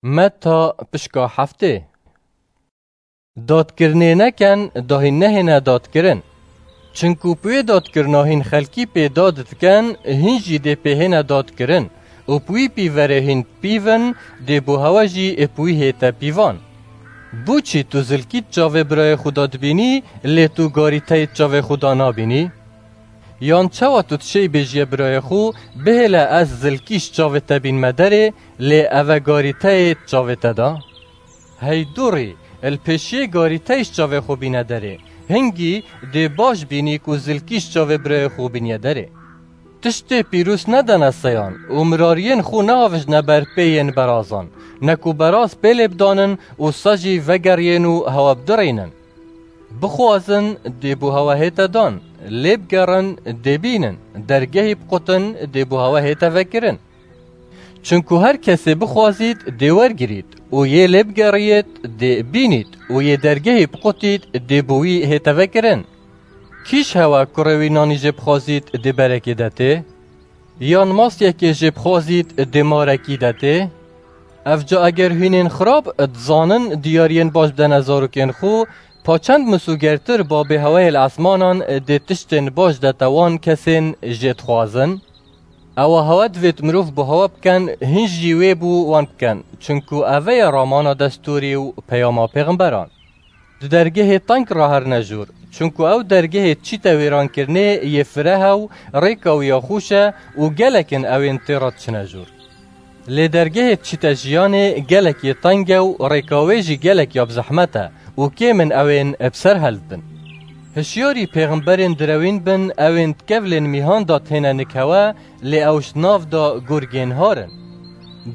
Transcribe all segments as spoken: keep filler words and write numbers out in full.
Meta pişka heftê. Dadkirinê neken, da hîn nehêne dadkirin. Çinku bi wê dadkirina hîn xelkî pê dad dikin, hîn jî dê pê hêne dadkirin û bi wî pîverê hîn dipîvin, dê bo hewe jî ê bi wî hête pîvan. Bo çi tu zilkî di çavê birayê xwe de dibînî, lê tu garîteyê di çavê xwe de nabînî? Yan çawa tu dişêy bêjiyê birayê xwe, bihêle ez zilkî ji çavê te bînme derê, lê eve garîteyê di çavê te de? Hey dûrî, li pêşiyê garîteyê ji çavê xwe bîne derê. Hingî dê baş bînî ku zilkî ji çavê birayê xwe bîniye derê. Tiştê pîrûs nedene seyan û mirariyên xwe neavijne ber pê yên berazan, ne ku beraz pê lê bidanin û sa jî vegeriyên û hewe bidirînin. Bixwazin, dê bo hewe hête dan, lê bigerin, dê bînin, dergehî biqutin, dê bo hewe hête vekirin. Çinku her kesê bixwazît, dê wergirît û yê lê bigeriyêt, dê bînît û yê dergehî biqutît, dê bo wî hête vekirin. Kî ji hewe kurê wî nanî jê bixwazît, dê berekê detê? Yan masyekê jê bixwazît, dê marekî detê? Evca eger hînên xirab dizanin diyariyên baş bidene zarokên xwe, pa çend misûgertir babê heweyê li esmanan dê tiştên baş dete wan kesên jê dixwazin? Ewa hewe divêt mirov bo hewe biken, hîn jî wê bo wan biken, çinku eve ye ramana destûrî û peyama pêxemberan. Di dergehê teng re herine jûr, çinku ew dergehê çîte wêrankirinê yê fireh e û rêka wî ya xweş e û gelek in ewên tê re diçine jûr. Lê dergehê çîte jiyanê gelek yê teng e û rêka wê jî gelek ya bi zehmet e û kêm in ewên bi ser heldibin. Hişyarî pêxemberên direwîn bin, ewên di kevlên mîhan de têne nik hewe, lê ew ji nav de gurgên har in.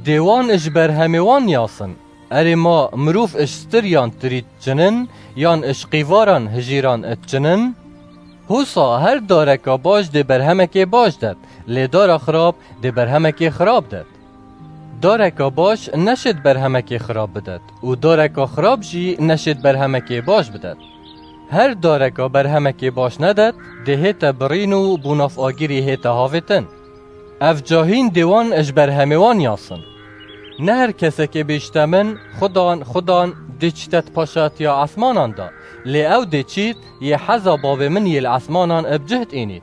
Dê wan ji berhemê wan niyasin. Erê ma mirov ji stiriyan tirî diçinin, yan ji qîvaran hijîran diçinin? Husa her dareka baş dê berhemekê baş det, lê dara xirab dê berhemekê xirab det. Dareka baş neşêt berhemekê xirab bidet û dareka xirab jî neşêt berhemekê baş bidet. Her dareka berhemekê baş nedet, dê hête birîn û bo nav agirî hête havêtin. Evca hîn dê wan ji berhemê wan yasin. Ne her kesekê bêjte min, Xudan, Xudan, dê çîte di paşatiya esmanan de, lê ew dê çît yê heza Bavê min yê li esmanan bi cih diînît.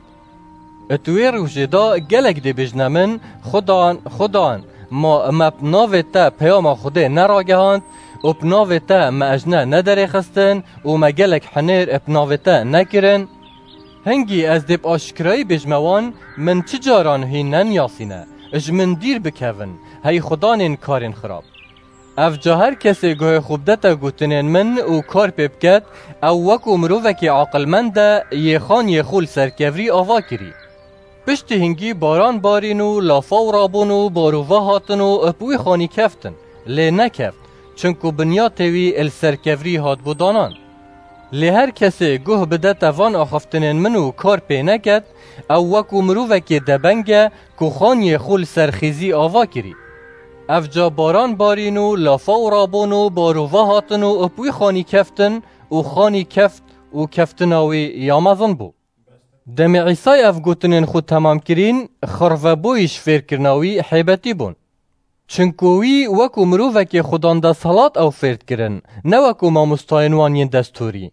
Di wê rojê de gelek dê bêjne min, Xudan, Xudan, ma me bi navê te peyama Xwedê neragehand û bi navê te me ejne nederêxistin û me gelek hinêr bi navê te nekirin? Hingî ez dê bi aşkirayî bêjme wan, min çi caran hîn neniyasîne, ji min dîr bikevin, hey xudanên karên xirab. Evca her kesê guhê xwe bidete gotinên min û kar pê biket, ew wekû mirovekî aqilmend e, yê xaniyê xwe li ser kevrî ava kirî. Piştî hingî baran barîn û lafaw rabûn û barûva hatin û bi wî xanî keftin, lê nekeft, çinku binyatê wî li ser kevrî hatbû danan. Lê her kesê guh bidete van axaftinên min û kar pê neket, ew wekû mirovekê debeng e ku xaniyê xwe li ser xîzî ava kirî. Evca baran barîn û lafaw rabûn û barûva hatin û bi wî xanî keftin û xanî keft û keftina wî ya mezin bû. Demê Îsay ev gotinên xwe temam kirîn, xirvebûyî ji fêrkirina wî hêbetî bûn. Çinku wî wekû mirovekê xudan desthilat ew fêr dikirin, ne wekû mamostayên wan yên destûrî.